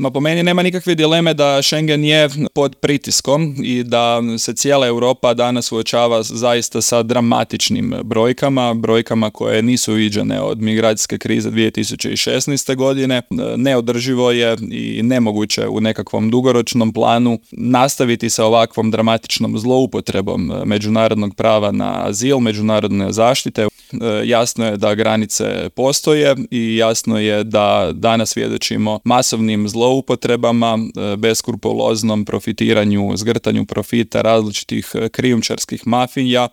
Ma po meni nema nikakve dileme da Schengen je pod pritiskom i da se cijela Europa danas suočava zaista sa dramatičnim brojkama koje nisu viđene od migracijske krize 2016. godine. Neodrživo je i nemoguće u nekakvom dugoročnom planu nastaviti sa ovakvom dramatičnom zloupotrebom međunarodnog prava na azil, međunarodne zaštite. Jasno je da granice postoje i jasno je da danas svjedočimo masovnim zloupotrebama, beskrupuloznom profitiranju, zgrtanju profita različitih krijumčarskih mafija